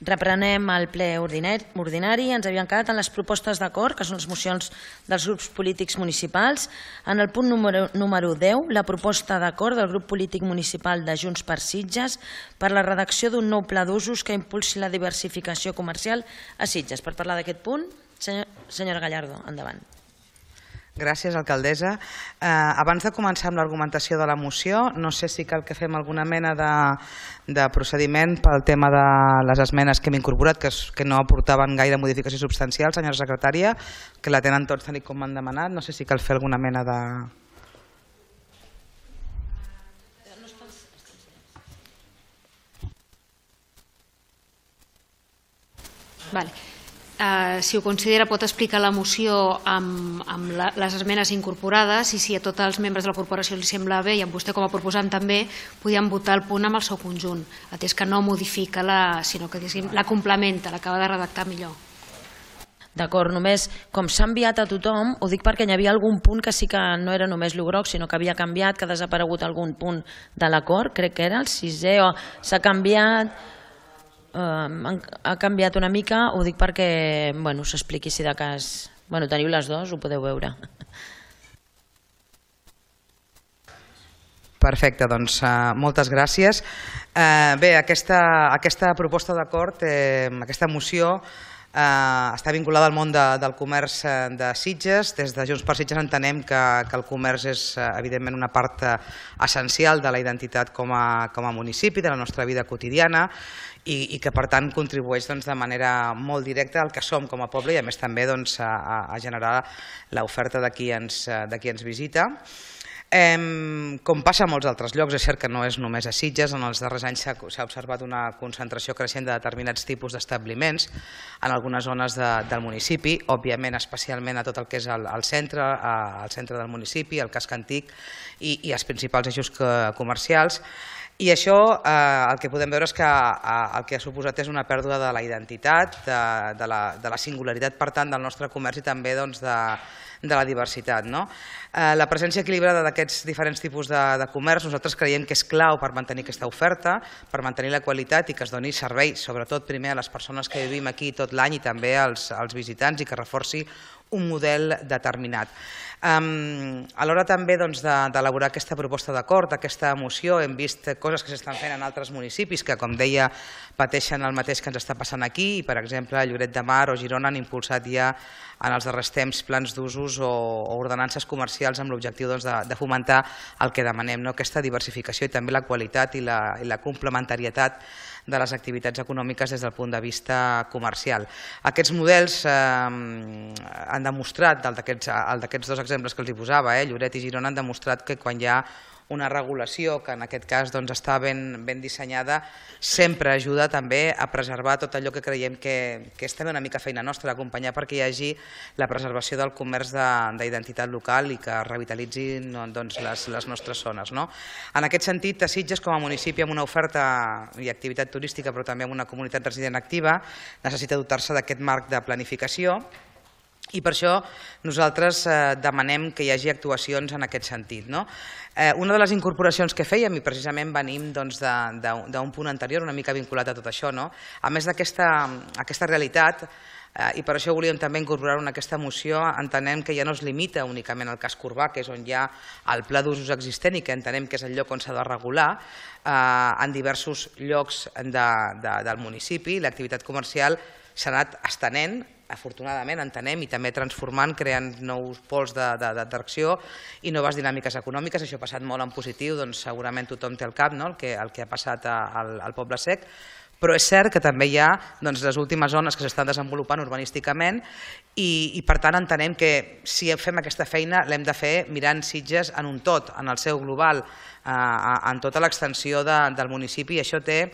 Reprenem el ple ordinari. Ens havíem quedat en les propostes d'acord, que són les mocions dels grups polítics municipals. En el punt número 10, la proposta d'acord del grup polític municipal de Junts per Sitges per la redacció d'un nou pla d'usos que impulsi la diversificació comercial a Sitges. Per parlar d'aquest punt, senyora Gallardo, endavant. Gràcies, alcaldessa. Abans de començar amb l'argumentació de la moció, no sé si cal que fem alguna mena de procediment pel tema de les esmenes que hem incorporat, que no aportaven gaire modificació substancial, senyora secretària, que la tenen tots tal com m'han demanat. No sé si cal fer alguna mena de... Vale. Si ho considera, pot explicar la moció amb les esmenes incorporades i si a tots els membres de la corporació li sembla bé i a vostè com a proposant també podíem votar el punt amb el seu conjunt, atès que no modifica, sinó que la complementa, l'acaba de redactar millor. D'acord, només com s'ha enviat a tothom, ho dic perquè hi havia algun punt que sí que no era només el groc, sinó que havia canviat, que ha desaparegut algun punt de l'acord, crec que era el 6è, o s'ha canviat... ha canviat una mica, ho dic perquè s'expliqui si de cas... Teniu les dues, ho podeu veure. Perfecte, doncs moltes gràcies. Bé, aquesta proposta d'acord, aquesta moció, està vinculada al món del comerç de Sitges. Des de Junts per Sitges entenem que el comerç és evidentment una part essencial de la identitat com a municipi, de la nostra vida quotidiana, i que per tant contribueix de manera molt directa al que som com a poble i a més també a generar l'oferta de qui ens visita. Com passa a molts altres llocs, és cert que no és només a Sitges, en els darrers anys s'ha observat una concentració creixent de determinats tipus d'establiments en algunes zones del municipi, òbviament especialment a tot el que és el centre del municipi, el casc antic i els principals eixos comercials. I això el que podem veure és que el que ha suposat és una pèrdua de la identitat, de la singularitat per tant del nostre comerç i també de la diversitat. La presència equilibrada d'aquests diferents tipus de comerç nosaltres creiem que és clau per mantenir aquesta oferta, per mantenir la qualitat i que es doni servei, sobretot primer a les persones que vivim aquí tot l'any i també als visitants i que reforci un model determinat. A l'hora també d'elaborar aquesta proposta d'acord, aquesta moció, hem vist coses que s'estan fent en altres municipis que, com deia, pateixen el mateix que ens està passant aquí i, per exemple, a Lloret de Mar o Girona han impulsat ja en els darrers temps plans d'usos o ordenances comercials amb l'objectiu de fomentar el que demanem, aquesta diversificació i també la qualitat i la complementarietat de les activitats econòmiques des del punt de vista comercial. Aquests models han demostrat, el d'aquests dos exemples que els posava, Lloret i Girona, han demostrat que quan hi ha una regulació que en aquest cas està ben dissenyada, sempre ajuda també a preservar tot allò que creiem que és també una mica feina nostra, d'acompanyar perquè hi hagi la preservació del comerç d'identitat local i que revitalitzin les nostres zones. En aquest sentit, a Sitges, com a municipi amb una oferta i activitat turística, però també amb una comunitat resident activa, necessita dotar-se d'aquest marc de planificació. I per això nosaltres demanem que hi hagi actuacions en aquest sentit. Una de les incorporacions que fèiem, i precisament venim d'un punt anterior una mica vinculat a tot això, a més d'aquesta realitat, i per això volíem també incorporar-ho en aquesta moció, entenem que ja no es limita únicament al casc urbà, que és on hi ha el pla d'usos existent i que entenem que és el lloc on s'ha de regular, en diversos llocs del municipi l'activitat comercial s'ha anat estenent, afortunadament entenem, i també transformant, creant nous pols d'atracció i noves dinàmiques econòmiques. Això ha passat molt en positiu, segurament tothom té al cap el que ha passat al Poble Sec, però és cert que també hi ha les últimes zones que s'estan desenvolupant urbanísticament i per tant entenem que si fem aquesta feina l'hem de fer mirant Sitges en un tot, en el seu global, en tota l'extensió del municipi, i això té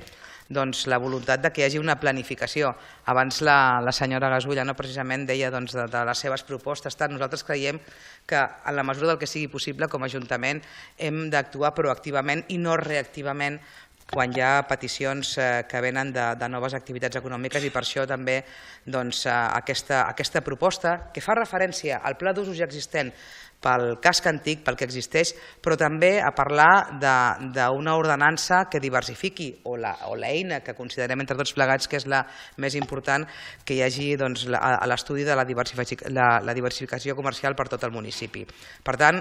la voluntat que hi hagi una planificació. Abans la senyora Gasulla precisament deia de les seves propostes. Nosaltres creiem que en la mesura del que sigui possible com a Ajuntament hem d'actuar proactivament i no reactivament quan hi ha peticions que venen de noves activitats econòmiques, i per això també aquesta proposta, que fa referència al pla d'usos ja existent pel casc antic, pel que existeix, però també a parlar d'una ordenança que diversifiqui, o l'eina que considerem entre tots plegats que és la més important, que hi hagi l'estudi de la diversificació comercial per tot el municipi. Per tant,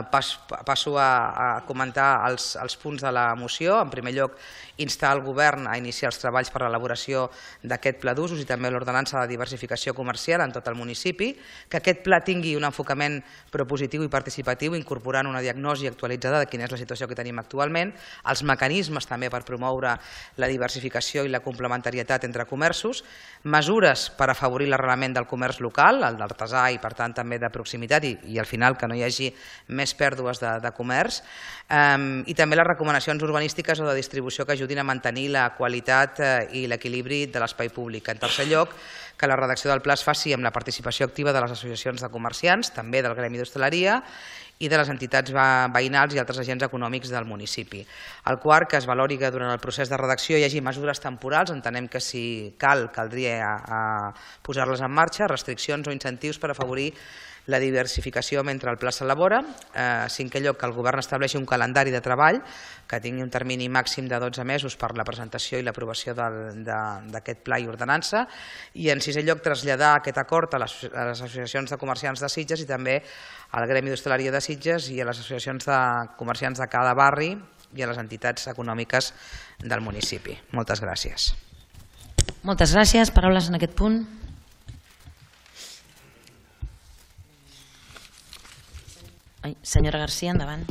passo a comentar els punts de la moció. En primer lloc, instar el govern a iniciar els treballs per a l'elaboració d'aquest pla d'usos i també l'ordenança de diversificació comercial en tot el municipi, que aquest pla tingui un enfocament propositiu i participatiu, incorporant una diagnosi actualitzada de quina és la situació que tenim actualment, els mecanismes també per promoure la diversificació i la complementarietat entre comerços, mesures per afavorir l'arrelament del comerç local, el d'artesà i per tant també de proximitat, i al final que no hi hagi més pèrdues de comerç, i també les recomanacions urbanístiques o de distribució que ajudin a mantenir la qualitat i l'equilibri de l'espai públic. En tercer lloc, que la redacció del pla es faci amb la participació activa de les associacions de comerciants, també del gremi d'hostaleria i de les entitats veïnals i altres agents econòmics del municipi. El quart, que es valori que durant el procés de redacció hi hagi mesures temporals, entenem que si caldria posar-les en marxa, restriccions o incentius per afavorir la diversificació mentre el pla s'elabora. Cinquè lloc, que el govern estableixi un calendari de treball que tingui un termini màxim de 12 mesos per la presentació i l'aprovació d'aquest pla i ordenança. I en sisè lloc, traslladar aquest acord a les associacions de comerciants de Sitges i també al gremi d'hostaleria de Sitges i a les associacions de comerciants de cada barri i a les entitats econòmiques del municipi. Moltes gràcies. Moltes gràcies. Paraules en aquest punt. Senyora García, endavant.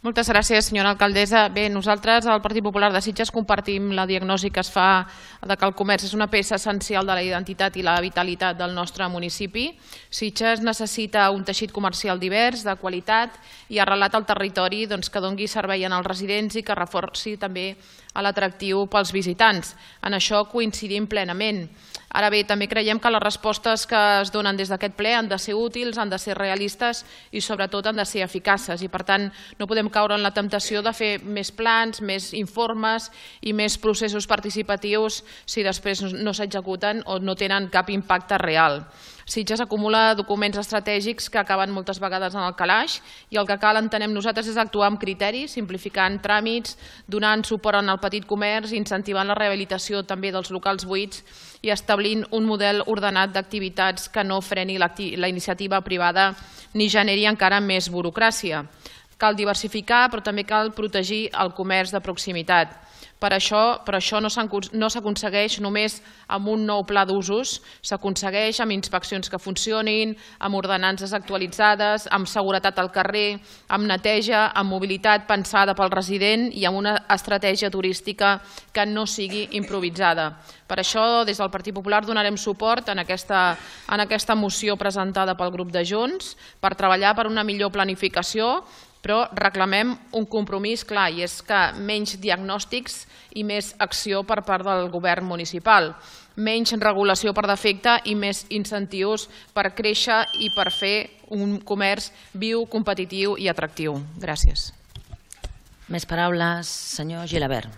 Moltes gràcies, senyora alcaldessa. Bé, nosaltres al Partit Popular de Sitges compartim la diagnosi que es fa que el comerç és una peça essencial de la identitat i la vitalitat del nostre municipi. Sitges necessita un teixit comercial divers, de qualitat i arrelat al territori que doni servei als residents i que reforci també l'atractiu pels visitants. En això coincidim plenament. Ara bé, també creiem que les respostes que es donen des d'aquest ple han de ser útils, han de ser realistes i sobretot han de ser eficaces, i per tant no podem caure en la temptació de fer més plans, més informes i més processos participatius si després no s'executen o no tenen cap impacte real. Sitges acumula documents estratègics que acaben moltes vegades en el calaix i el que cal, entenem nosaltres, és actuar amb criteri, simplificant tràmits, donant suport al petit comerç, incentivant la rehabilitació també dels locals buits i establint un model ordenat d'activitats que no freni la iniciativa privada ni generi encara més burocràcia. Cal diversificar, però també cal protegir el comerç de proximitat. Per això no s'aconsegueix només amb un nou pla d'usos, s'aconsegueix amb inspeccions que funcionin, amb ordenances actualitzades, amb seguretat al carrer, amb neteja, amb mobilitat pensada pel resident i amb una estratègia turística que no sigui improvisada. Per això, des del Partit Popular donarem suport en aquesta moció presentada pel grup de Junts per treballar per una millor planificació, però reclamem un compromís clar, i és que menys diagnòstics i més acció per part del govern municipal, menys regulació per defecte i més incentius per créixer i per fer un comerç viu, competitiu i atractiu. Gràcies. Més paraules, senyor Gilabert.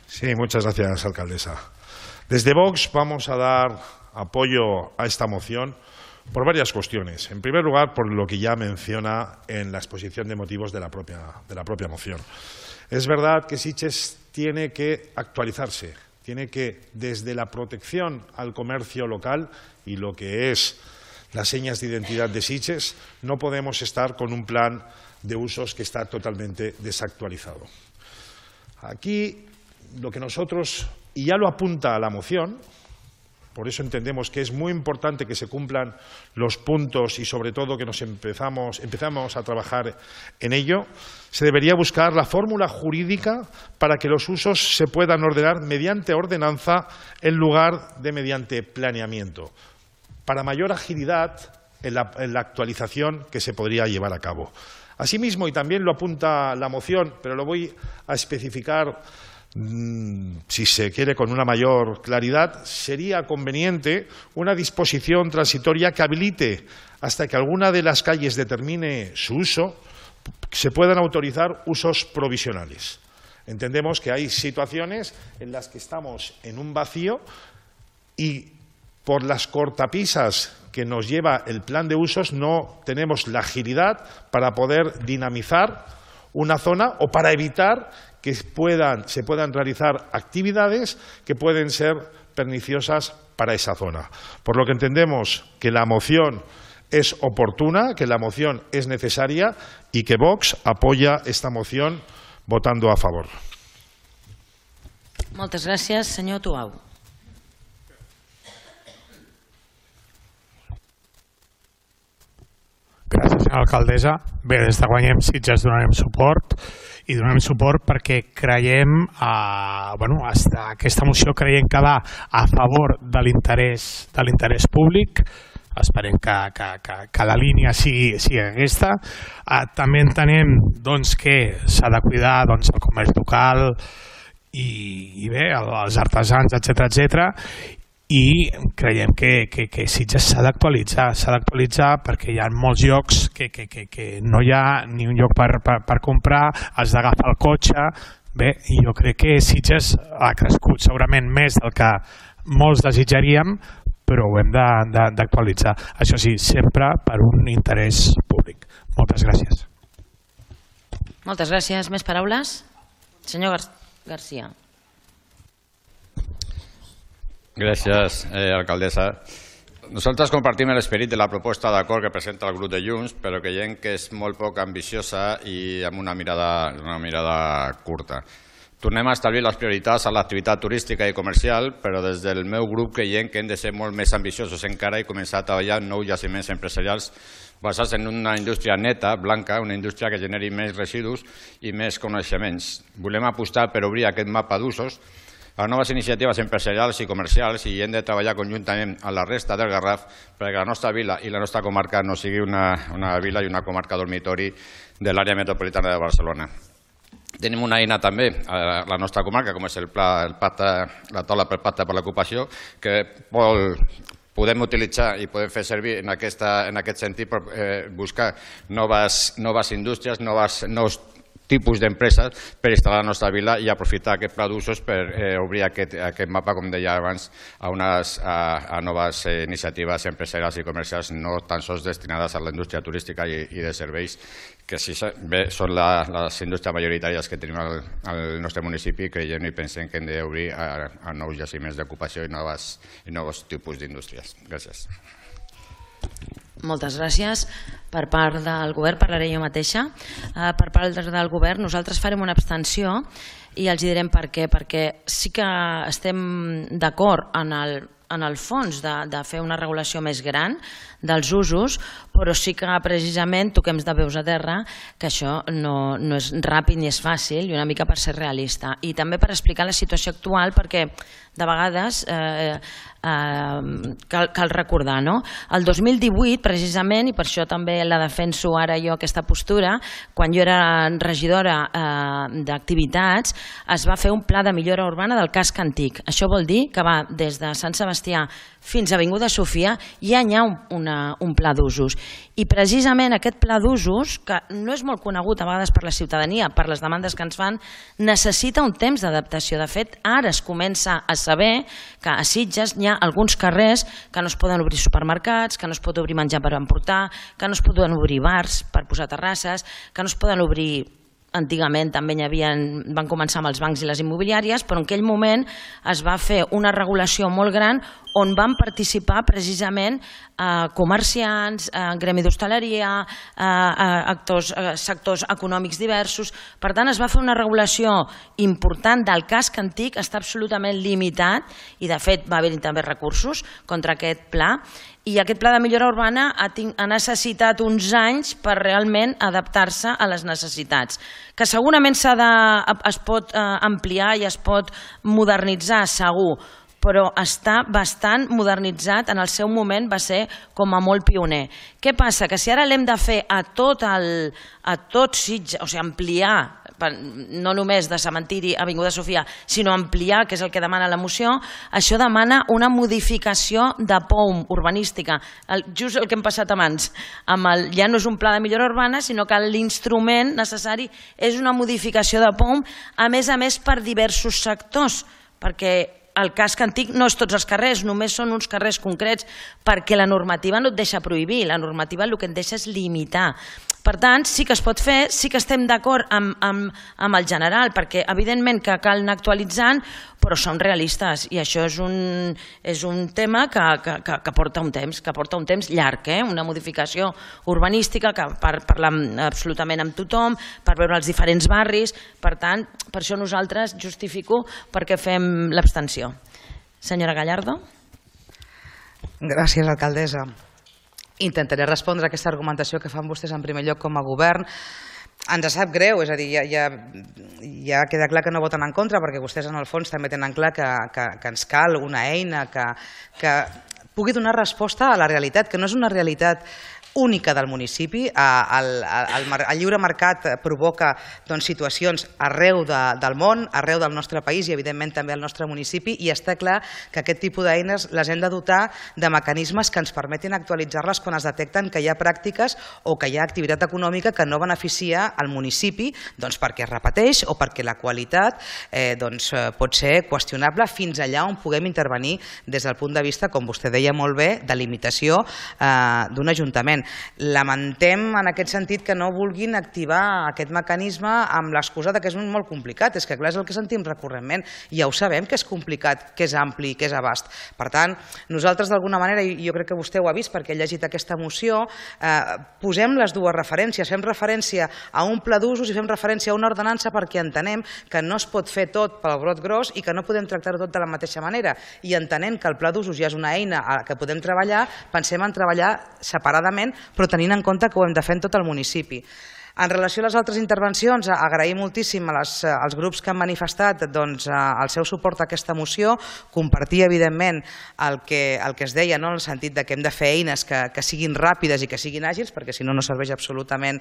Sí, muchas gracias, alcaldesa. Desde Vox vamos a dar apoyo a esta moción por varias cuestiones. En primer lugar, por lo que ya menciona en la exposición de motivos de la propia moción. Es verdad que Sitges tiene que actualizarse, tiene que, desde la protección al comercio local y lo que es las señas de identidad de Sitges, no podemos estar con un plan de usos que está totalmente desactualizado. Aquí, lo que nosotros, y ya lo apunta la moción, por eso entendemos que es muy importante que se cumplan los puntos y sobre todo que empezamos a trabajar en ello, se debería buscar la fórmula jurídica para que los usos se puedan ordenar mediante ordenanza en lugar de mediante planeamiento, para mayor agilidad en la actualización que se podría llevar a cabo. Asimismo, y también lo apunta la moción, pero lo voy a especificar si se quiere con una mayor claridad, sería conveniente una disposición transitoria que habilite hasta que alguna de las calles determine su uso se puedan autorizar usos provisionales. Entendemos que hay situaciones en las que estamos en un vacío y por las cortapisas que nos lleva el plan de usos no tenemos la agilidad para poder dinamizar una zona o para evitar que se puedan realizar actividades que pueden ser perniciosas para esa zona. Por lo que entendemos que la moción es oportuna, que la moción es necesaria y que Vox apoya esta moción votando a favor. Moltes gràcies, senyor Tuau. Gràcies, senyora alcaldessa. Bé, des de Guanyem Sitges donarem suport i donem suport perquè creiem, aquesta moció creiem que va a favor de l'interès públic. Esperem que la línia sigui aquesta. També entenem que s'ha de cuidar el comerç local i bé, els artesans, etc. I creiem que Sitges s'ha d'actualitzar perquè hi ha molts llocs que no hi ha ni un lloc per comprar, has d'agafar el cotxe. Bé, jo crec que Sitges ha crescut segurament més del que molts desitjaríem, però ho hem d'actualitzar. Això sí, sempre per un interès públic. Moltes gràcies. Moltes gràcies. Més paraules? Senyor García. Gracias, alcaldesa. Nosotros compartimos el espíritu de la propuesta de acuerdo que presenta el grupo de Junts, pero creiem que és molt poc ambiciosa i amb una mirada curta. Tornem a establir les prioritats a l'activitat turística i comercial, però des del meu grup creiem que hem de ser molt més ambiciosos encara i començar a treballar en nous jaciments empresarials basats en una indústria neta, blanca, una indústria que generi més residus i més coneixements. Volem apostar per obrir aquest mapa d'usos a noves iniciatives empresarials i comercials i hem de treballar conjuntament amb la resta del Garraf perquè la nostra vila i la nostra comarca no sigui una vila i una comarca dormitori de l'àrea metropolitana de Barcelona. Tenim una eina també a la nostra comarca, com és la taula pel pacte per l'ocupació, que podem utilitzar i podem fer servir en aquest sentit per buscar noves indústries, nous tipus d'empreses per instal·lar a la nostra vila i aprofitar aquest pla d'usos per obrir aquest mapa, com deia abans, a noves iniciatives empresarials i comercials no tan sols destinades a la indústria turística i de serveis, que bé són les indústries majoritàries que tenim al nostre municipi. Creiem i pensem que hem d'obrir a nous jaciments d'ocupació i nous tipus d'indústries. Gràcies. Moltes gràcies. Per part del govern parlaré jo mateixa. Per part del govern nosaltres farem una abstenció i els direm per què. Perquè sí que estem d'acord en el fons de fer una regulació més gran dels usos, però sí que precisament toquem de peus a terra que això no és ràpid ni és fàcil i una mica per ser realista. I també per explicar la situació actual perquè de vegades cal recordar, no? El 2018 precisament, i per això també la defenso ara jo aquesta postura, quan jo era regidora d'activitats es va fer un pla de millora urbana del casc antic. Això vol dir que va des de Sant Sebastià fins a Avinguda Sofia ja hi ha un pla d'usos. I precisament aquest pla d'usos, que no és molt conegut a vegades per la ciutadania, per les demandes que ens fan, necessita un temps d'adaptació. De fet, ara es comença a saber que a Sitges hi ha alguns carrers que no es poden obrir supermercats, que no es pot obrir menjar per emportar, que no es poden obrir bars per posar terrasses, que no es poden obrir... Antigament també van començar amb els bancs i les immobiliàries, però en aquell moment es va fer una regulació molt gran on van participar precisament comerciants, gremi d'hostaleria, sectors econòmics diversos. Per tant, es va fer una regulació important del casc antic, està absolutament limitat i de fet va haver-hi també recursos contra aquest pla. I aquest pla de millora urbana ha necessitat uns anys per realment adaptar-se a les necessitats, que segurament es pot ampliar i es pot modernitzar, segur, però està bastant modernitzat. En el seu moment va ser com a molt pioner. Què passa? Que si ara l'hem de fer a tot Sitges, o sigui, ampliar, no només de cementiri Avinguda Sofia, sinó ampliar, que és el que demana la moció, això demana una modificació de POUM urbanística, just el que hem passat abans. Ja no és un pla de millora urbana, sinó que l'instrument necessari és una modificació de POUM, a més per diversos sectors, perquè el casc antic no és tots els carrers, només són uns carrers concrets, perquè la normativa no et deixa prohibir, la normativa el que et deixa és limitar. Per tant, sí que es pot fer, sí que estem d'acord amb el general, perquè evidentment que cal anar actualitzant, però som realistes i això és un tema que porta un temps llarg, una modificació urbanística per parlar absolutament amb tothom, per veure els diferents barris. Per tant, per això nosaltres justifico perquè fem l'abstenció. Senyora Gallardo. Gràcies, alcaldessa. Intentaré respondre a aquesta argumentació que fan vostès en primer lloc com a govern. Ens sap greu, és a dir, ja queda clar que no voten en contra perquè vostès en el fons també tenen clar que ens cal una eina que pugui donar resposta a la realitat, que no és una realitat única del municipi. El lliure mercat provoca situacions arreu del món, arreu del nostre país i evidentment també al nostre municipi, i està clar que aquest tipus d'eines les hem de dotar de mecanismes que ens permetin actualitzar-les quan es detecten que hi ha pràctiques o que hi ha activitat econòmica que no beneficia el municipi perquè es repeteix o perquè la qualitat pot ser qüestionable, fins allà on puguem intervenir des del punt de vista, com vostè deia molt bé, de limitació d'un ajuntament. Lamentem en aquest sentit que no vulguin activar aquest mecanisme amb l'excusa que és molt complicat. És que clar, és el que sentim recurrentment. Ja ho sabem que és complicat, que és ampli, que és abast. Per tant, nosaltres d'alguna manera, i jo crec que vostè ho ha vist perquè ha llegit aquesta moció, posem les dues referències. Fem referència a un pla d'usos i fem referència a una ordenança perquè entenem que no es pot fer tot pel brot gros i que no podem tractar-ho tot de la mateixa manera. I entenent que el pla d'usos ja és una eina que podem treballar, pensem en treballar separadament, però tenint en compte que ho hem de fer en tot el municipi. En relació a les altres intervencions, agrair moltíssim als grups que han manifestat el seu suport a aquesta moció, compartir evidentment el que es deia, en el sentit que hem de fer eines que siguin ràpides i que siguin àgils, perquè si no, no serveix absolutament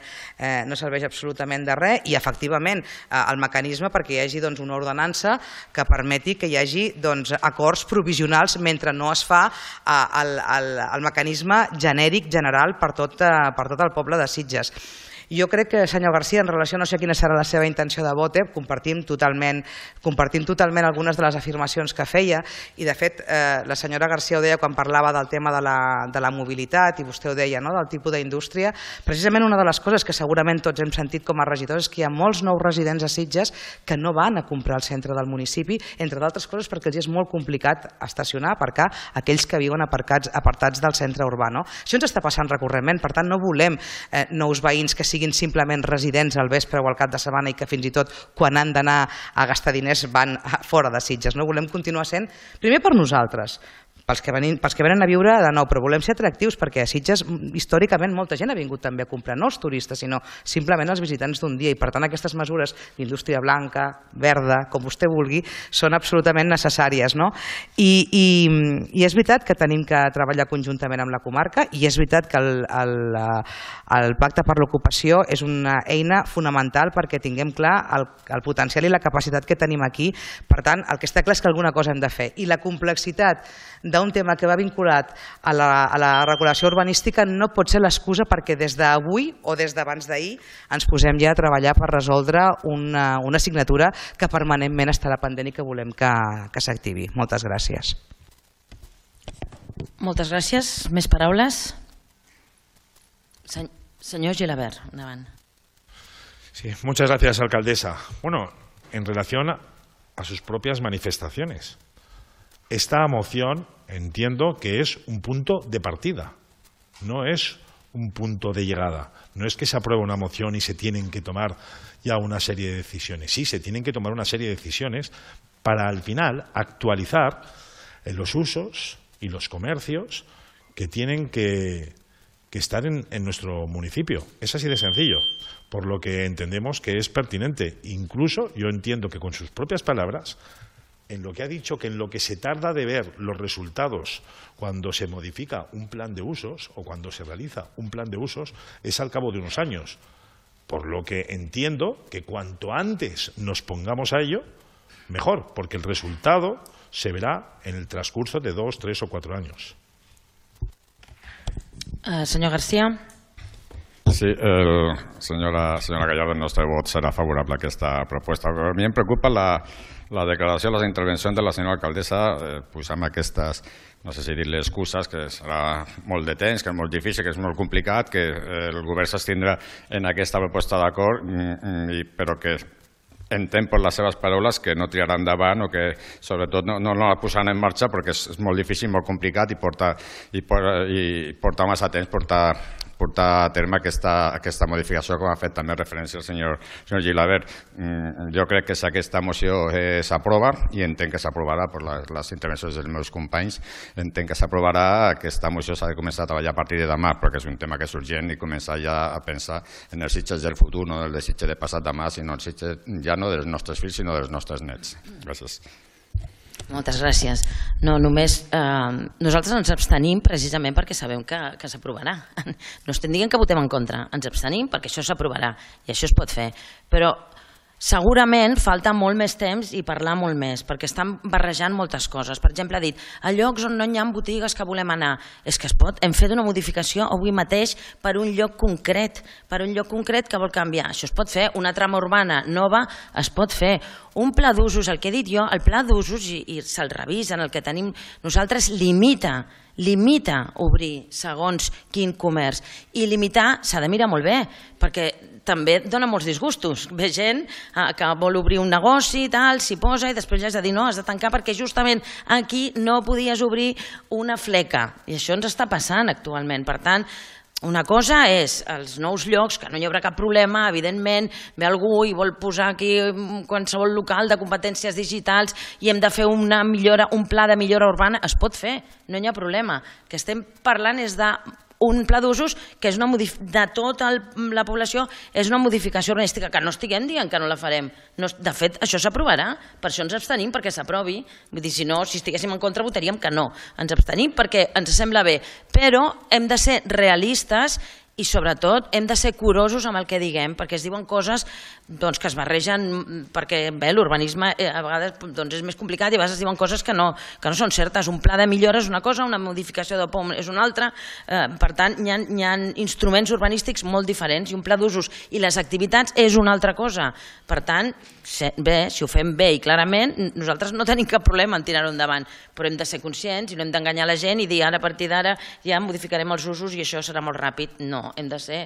de res, i efectivament el mecanisme perquè hi hagi una ordenança que permeti que hi hagi acords provisionals mentre no es fa el mecanisme genèric general per tot el poble de Sitges. Jo crec que, senyor García, en relació, no sé quina serà la seva intenció de vot, compartim totalment algunes de les afirmacions que feia, i de fet la senyora García ho deia quan parlava del tema de la mobilitat, i vostè ho deia, del tipus d'indústria. Precisament una de les coses que segurament tots hem sentit com a regidors és que hi ha molts nous residents a Sitges que no van a comprar al centre del municipi, entre d'altres coses perquè els és molt complicat estacionar, aparcar aquells que viuen apartats del centre urbà. Això ens està passant recurrentment, per tant no volem nous veïns que siguin simplement residents al vespre o al cap de setmana i que fins i tot quan han d'anar a gastar diners van fora de Sitges. No volem continuar sent, primer per nosaltres, pels que venen a viure de nou, però volem ser atractius perquè a Sitges històricament molta gent ha vingut també a comprar, no els turistes, sinó simplement els visitants d'un dia, i per tant aquestes mesures d'indústria blanca, verda, com vostè vulgui, són absolutament necessàries. I és veritat que tenim que treballar conjuntament amb la comarca, i és veritat que el Pacte per l'Ocupació és una eina fonamental perquè tinguem clar el potencial i la capacitat que tenim aquí. Per tant, el que està clar és que alguna cosa hem de fer, i la complexitat d'un tema que va vinculat a la regulació urbanística no pot ser l'excusa perquè des d'avui o des d'abans d'ahir ens posem ja a treballar per resoldre una assignatura que permanentment estarà pendent i que volem que s'activi. Moltes gràcies. Moltes gràcies. Més paraules? Señor Gilabert, endavant. Sí, muchas gracias, alcaldesa. Bueno, en relación a sus propias manifestaciones. Esta moción entiendo que es un punto de partida, no es un punto de llegada. No es que se apruebe una moción y se tienen que tomar ya una serie de decisiones. Sí, se tienen que tomar una serie de decisiones para al final actualizar los usos y los comercios que tienen que estar en nuestro municipio. Es así de sencillo, por lo que entendemos que es pertinente. Incluso yo entiendo que con sus propias palabras, en lo que ha dicho, que en lo que se tarda de ver los resultados cuando se modifica un plan de usos o cuando se realiza un plan de usos es al cabo de unos años. por lo que entiendo que cuanto antes nos pongamos a ello, mejor, porque el resultado se verá en el transcurso de 2, 3 o 4 años. Senyor García. Sí, senyora Gallardo, el nostre vot serà favorable a aquesta proposta. Però a mi em preocupa la declaració, les intervencions de la senyora alcaldessa, posant aquestes, no sé si dir-li excuses, que serà molt de temps, que és molt difícil, que és molt complicat, que el govern s'estindrà en aquesta proposta d'acord, però que entenc per les seves paraules que no tirarà endavant o que sobretot no la posaran en marxa perquè és molt difícil, molt complicat i porta massa temps portar a terme aquesta modificació, com ha fet també referència el senyor Gilabert. Jo crec que si aquesta moció s'aprova, i entenc que s'aprovarà per les intervencions dels meus companys, entenc que s'aprovarà, aquesta moció s'ha de començar a treballar a partir de demà, perquè és un tema que és urgent i començar ja a pensar en els Sitges del futur, no el de Sitges de passat demà, sinó el Sitges ja no dels nostres fills, sinó dels nostres nets. Gràcies. Moltes gràcies. No, només nosaltres ens abstenim precisament perquè sabem que s'aprovarà. No estem dient que votem en contra, ens abstenim perquè això s'aprovarà i això es pot fer. Però segurament falta molt més temps i parlar molt més, perquè estan barrejant moltes coses. Per exemple, ha dit, a llocs on no hi ha botigues que volem anar. És que es pot, hem fet una modificació avui mateix per un lloc concret, que vol canviar. Això es pot fer, una trama urbana nova es pot fer. Un pla d'usos, el que he dit jo, el pla d'usos, i se'l revisen, el que tenim nosaltres, limita obrir segons quin comerç. I limitar s'ha de mirar molt bé, perquè també dona molts disgustos. Ve gent que vol obrir un negoci, s'hi posa i després ja has de dir no, has de tancar perquè justament aquí no podies obrir una fleca. I això ens està passant actualment. Per tant, una cosa és els nous llocs, que no hi haurà cap problema, evidentment, ve algú i vol posar aquí qualsevol local de competències digitals i hem de fer una millora, un pla de millora urbana, es pot fer, no hi ha problema. El que estem parlant és d'un pla d'usos que és de tota la població, és una modificació urbanística, que no estiguem dient que no la farem. De fet, això s'aprovarà, per això ens abstenim perquè s'aprovi. Vull dir, si no, si estiguéssim en contra votaríem que no. Ens abstenim perquè ens sembla bé, però hem de ser realistes i sobretot hem de ser curosos amb el que diguem, perquè es diuen coses que es barregen, perquè l'urbanisme a vegades és més complicat i a vegades es diuen coses que no són certes. Un pla de millora és una cosa, una modificació de POM és una altra. Per tant, hi ha instruments urbanístics molt diferents i un pla d'usos i les activitats és una altra cosa. Per tant, bé, si ho fem bé i clarament, nosaltres no tenim cap problema en tirar-ho endavant, però hem de ser conscients i no hem d'enganyar la gent i dir ara a partir d'ara ja modificarem els usos i això serà molt ràpid. No, hem de ser,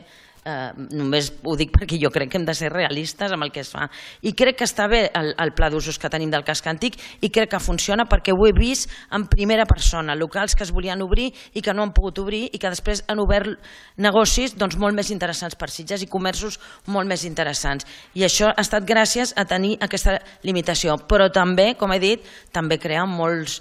només ho dic perquè jo crec que hem de ser realistes amb el que es fa. I crec que està bé el pla d'usos que tenim del casc antic i crec que funciona perquè ho he vist en primera persona, locals que es volien obrir i que no han pogut obrir i que després han obert negocis molt més interessants per Sitges i comerços molt més interessants. I això ha estat gràcies a tenir aquesta limitació. Però també, com he dit, també crea molts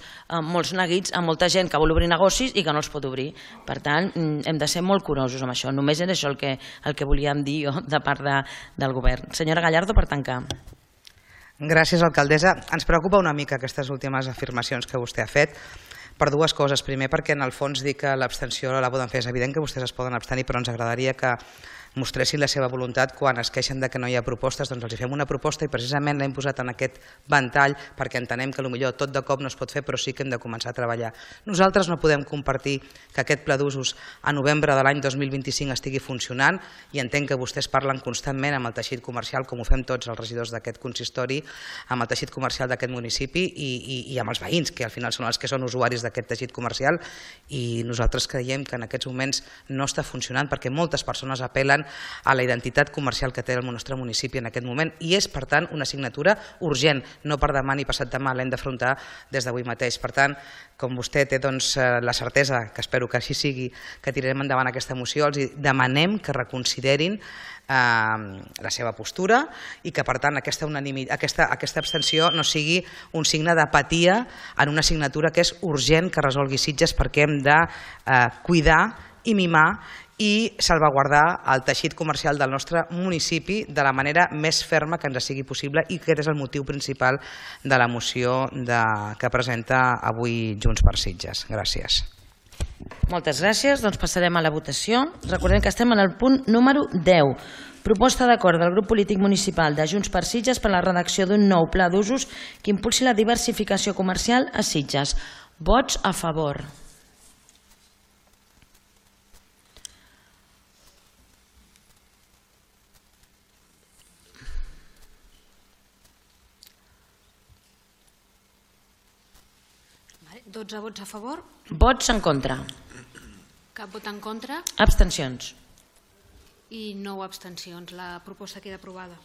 neguits a molta gent que vol obrir negocis i que no els pot obrir. Per tant, hem de ser molt curosos amb això. Només era això el que volíem dir jo de part del govern. Senyora Gallardo, per tancar. Gràcies, alcaldessa. Ens preocupa una mica aquestes últimes afirmacions que vostè ha fet per dues coses. Primer, perquè en el fons dir que l'abstenció la poden fer. És evident que vostès es poden abstenir, però ens agradaria que mostressin la seva voluntat quan es queixen de que no hi ha propostes, doncs els fem una proposta i precisament l'hem posat en aquest ventall perquè entenem que potser tot de cop no es pot fer, però sí que hem de començar a treballar. Nosaltres no podem compartir que aquest pla d'usos a novembre de l'any 2025 estigui funcionant i entenc que vostès parlen constantment amb el teixit comercial, com ho fem tots els regidors d'aquest consistori, amb el teixit comercial d'aquest municipi i amb els veïns, que al final són els que són usuaris d'aquest teixit comercial, i nosaltres creiem que en aquests moments no està funcionant perquè moltes persones apel·len a la identitat comercial que té el nostre municipi en aquest moment i és, per tant, una assignatura urgent, no per demà ni passat demà, l'hem d'afrontar des d'avui mateix. Per tant, com vostè té la certesa, que espero que així sigui, que tirarem endavant aquesta moció, els demanem que reconsiderin la seva postura i que, per tant, aquesta abstenció no sigui un signe d'apatia en una assignatura que és urgent que resolgui Sitges, perquè hem de cuidar i mimar i salvaguardar el teixit comercial del nostre municipi de la manera més ferma que ens sigui possible, i aquest és el motiu principal de la moció que presenta avui Junts per Sitges. Gràcies. Moltes gràcies. Doncs passarem a la votació. Recordem que estem en el punt número 10. Proposta d'acord del grup polític municipal de Junts per Sitges per a la redacció d'un nou pla d'usos que impulsi la diversificació comercial a Sitges. Vots a favor. Vale, 12 vots a favor. Vots en contra. Cap vot en contra Abstencions. i 9 abstencions. La proposta queda aprovada.